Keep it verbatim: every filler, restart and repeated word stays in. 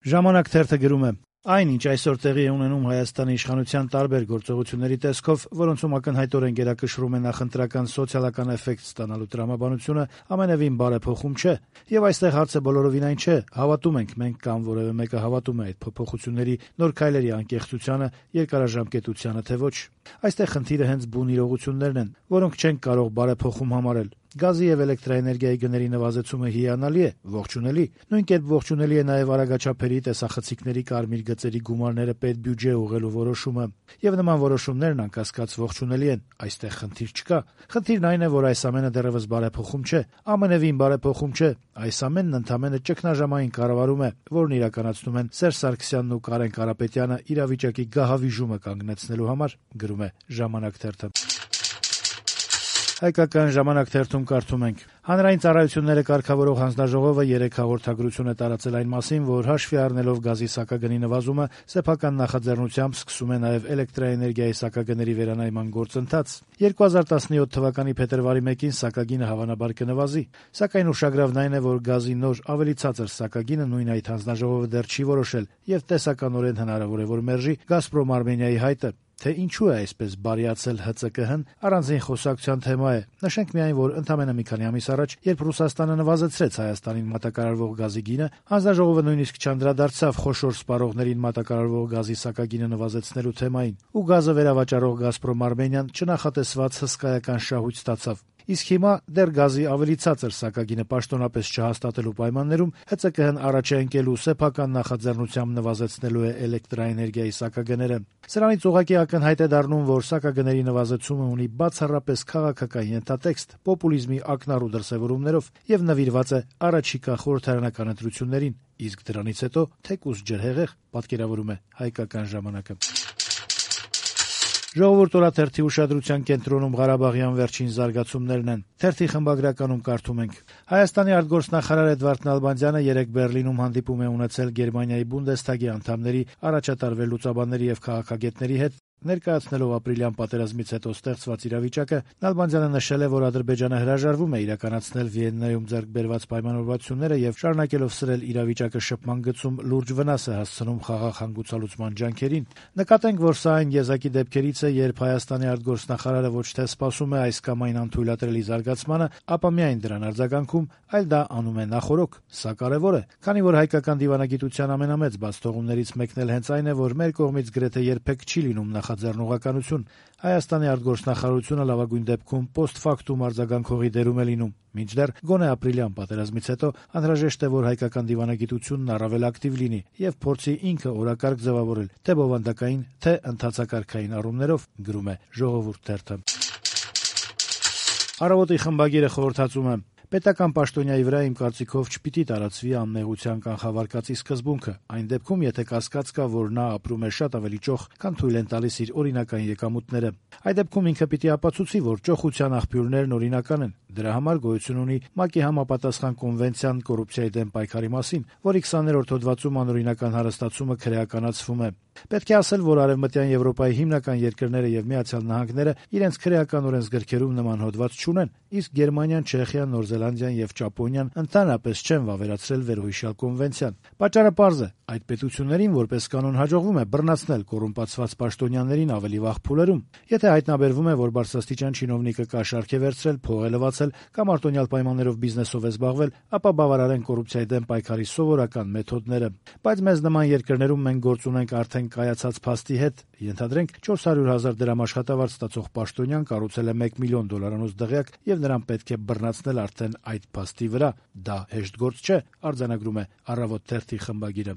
Ժամանակ թերթը գրում է. Այն, ինչ այսօր տեղի է ունենում Հայաստանի իշխանության տարբեր գործողությունների տեսքով, որոնցում ակնհայտորեն գերակշռում է նախընտրական սոցիալական էֆեկտ ստանալու տրամաբանությունը, ամենևին բարեփոխում չէ։ Եվ այստեղ հարցը բոլորովին այն չէ, հավատում ենք մենք կամ որևէ մեկը հավատում է այդ փոփոխությունների նոր քայլերի անկեղծությանը, երկարաժամկետությանը, թե ոչ։ Այստեղ խնդիրը հենց բուն իրողություններն են, որոնք չենք կարող բարեփոխում համարել։ Գազի եւ էլեկտրաէներգիայի գների նվազեցումը հիանալի է, ողջունելի։ Նույն կերպ ողջունելի է նաեւ արագաչափերի տեսախցիկների կարմիր գծերի գումարները պետբյուջե ուղղելու որոշումը։ Եվ նման որոշումներն անկասկած ողջունելի են։ Այստեղ խնդիր չկա։ Խնդիրն այն է, որ այս ամենը դեռևս բարեփոխում չէ, ամենևին բարեփոխում չէ։ Այս ամենն ընդամենը ճգնաժամային կառավարում է, որն իրականացնում են Սերժ Սարգսյանն ու Կարեն Կարապետյանը իրավիճակի գահավիժումը կանգնեցնելու համար, գրում է Ժամանակ թերթը։ Հայկական ժամանակ թերթում կարդում ենք. Հանրային ծառայությունները կարգավորող հանձնաժողովը երեկ հաղորդագրություն է տարածել այն մասին, որ հաշվի առնելով գազի սակագնի նվազումը, սեփական նախաձեռնությամբ սկսում է նաև էլեկտրաէներգիայի սակագների վերանայման գործընթաց։ երկու հազար տասնյոթ թվականի փետրվարի մեկին սակագինը հավանաբար կնվազի, սակայն ուշագրավն այն է, որ գազի նոր ավելի ցածր սակագինը նույն այդ հանձնաժողովը դեռ չի որոշել, եւ տեսականորեն հնարավոր է, որ մերժի Գազպրոմ Արմենիայի հայտը։ Թե ինչու է այսպես բարիացել Հ Ց Կ Հ-ն, առանձին խոսակցության թեմա է։ Նշենք միայն, որ ընդամենը մի քանի ամիս առաջ, երբ Ռուսաստանը նվազեցրեց Հայաստանին մատակարարվող գազի գինը, հանձնաժողովը նույնիսկ չանդրադարձավ խոշոր սպառողներին մատակարարվող գազի սակագինը նվազեցնելու թեմային, ու գազը վերավաճառող Գազպրոմ Արմենիան չնախատեսված հսկայական շահույթ ստացավ։ Իսկ հիմա դեռ գազի ավելի ցածր սակագինը պաշտոնապես չհաստատելու պայմաններում Հ Ց Կ Հ-ն առաջ է ընկելու սեփական նախաձեռնությամբ նվազեցնելու է էլեկտրաէներգիայի սակագները։ Սրանից ուղղակի ակնհայտ է դառնում, որ սակագների նվազեցումը ունի բացառապես քաղաքական ենթատեքստ, պոպուլիզմի ակնառու դրսևորումներով եւ նվիրված է առաջիկա խորհրդարանական ընտրություններին, իսկ դրանից հետո թեկուզ ջրհեղեղ, պատկերավորում է Հայկական ժամանակը։ Ժողովուրդ օրաթերթի ուշադրության կենտրոնում Ղարաբաղյան վերջին զարգացումներն են։ Թերթի խմբագրականում կարդում ենք. Հայաստանի արտգործնախարար Էդվարդ Նալբանդյանը երեկ Բեռլինում հանդիպում է ունեցել Գերմանիայի Բունդեսթագի անդամների, առաջատար վերլուծաբանների եւ քաղաքագետների հետ։ Ներկայացնելով ապրիլյան պատերազմից հետո ստեղծված իրավիճակը, Նալբանդյանը նշել է, որ Ադրբեջանը հրաժարվում է իրականացնել Վիեննայում ձեռք բերված պայմանավորվածությունները եւ շարունակելով սրել իրավիճակը շփման գծում լուրջ վնաս է հասցնում խաղաղ հանգուցալուծման ջանքերին։ Նկատենք, որ սա այն եզակի դեպքերից է, երբ Հայաստանի արտգործնախարարը ոչ թե սպասում է այս կամ այն անթույլատրելի զարգացմանը, ապա միայն դրան արձագանքում, այլ դա անում է նախօրոք։ Սա կարեւոր է, քանի որ հայկական դիվանագիտության ամենամեծ բացթողումներից մեկն էլ հենց այն է, որ մեր կողմից գրեթե երբեք չի լինում նախաձեռնողականություն։ Հայաստանի արտգործնախարարությունը լավագույն դեպքում post-factum արձագանքողի դերում է լինում։ Մինչդեռ գոնե ապրիլյան պատերազմից հետո անհրաժեշտ է, որ հայկական դիվանագիտությունն առավել ակտիվ լինի եւ փորձի ինքը օրակարգ ձևավորել, թե բովանդակային, թե ընթացակարգային առումներով, գրում է Ժողովուրդ թերթը։ Առավոտի խմբագիրը խորհրդածում է. Պետական պաշտոնյայի վրա իմ կարծիքով չպիտի տարածվի անմեղության կանխավարկածի սկզբունքը, այն դեպքում, եթե կասկած կա, որ նա ապրում է շատ ավելի ճոխ, քան թույլ են տալիս իր օրինական եկամուտները։ Այդ դեպքում ինքը պիտի ապացուցի, որ ճոխության աղբյուրներն օրինական են։ Դրա համար գոյություն ունի ՄԱԿ-ի համապատասխան կոնվենցիան կոռուպցիայի դեմ պայքարի մասին, որի քսաներորդ հոդվածում անօրինական հարստացումը քրեականացվում է։ Պետք է ասել, որ Արևմտյան Եվրոպայի հիմնական երկրները եւ Միացյալ Նահանգները իրենց քրեական օրենսգրքերում նման հոդված չունեն, իսկ Գերմանիան, Չեխիան, Նոր Զելանդիան եւ Ճապոնիան ընդհանրապես չեն վավերացրել վերոհիշյալ կոնվենցիան։ Պատճառը պարզ է. այդ պետություններին որպես կանոն հաջողվում է բռնացնել կոռումպացված պաշտոնյաներին ավելի վաղ փուլերում։ Եթե հայտնաբերվում է, որ բարձրաստիճան չինովնիկը կաշառք է վերցրել, փող է լվացել կամ արտոնյալ պայմաններով բիզնեսով է զբաղվել, ապա բավարար են կոռուպցիայի դեմ պայքարի սովորական մեթոդները։ Բայց մեզ նման երկրներում մենք գործ ունենք արդեն կայացած փաստի հետ։ Ենթադրենք չորս հարյուր հազար դրամ աշխատավարձ ստացող պաշտոնյան կառուցել է մեկ միլիոն դոլարանոց դղյակ եւ նրան պետք է բռնացնել արդեն այդ փաստի վրա։ Դա հեշտ գործ չէ, արձանագրում է Առավոտ թերթի խմբագիրը։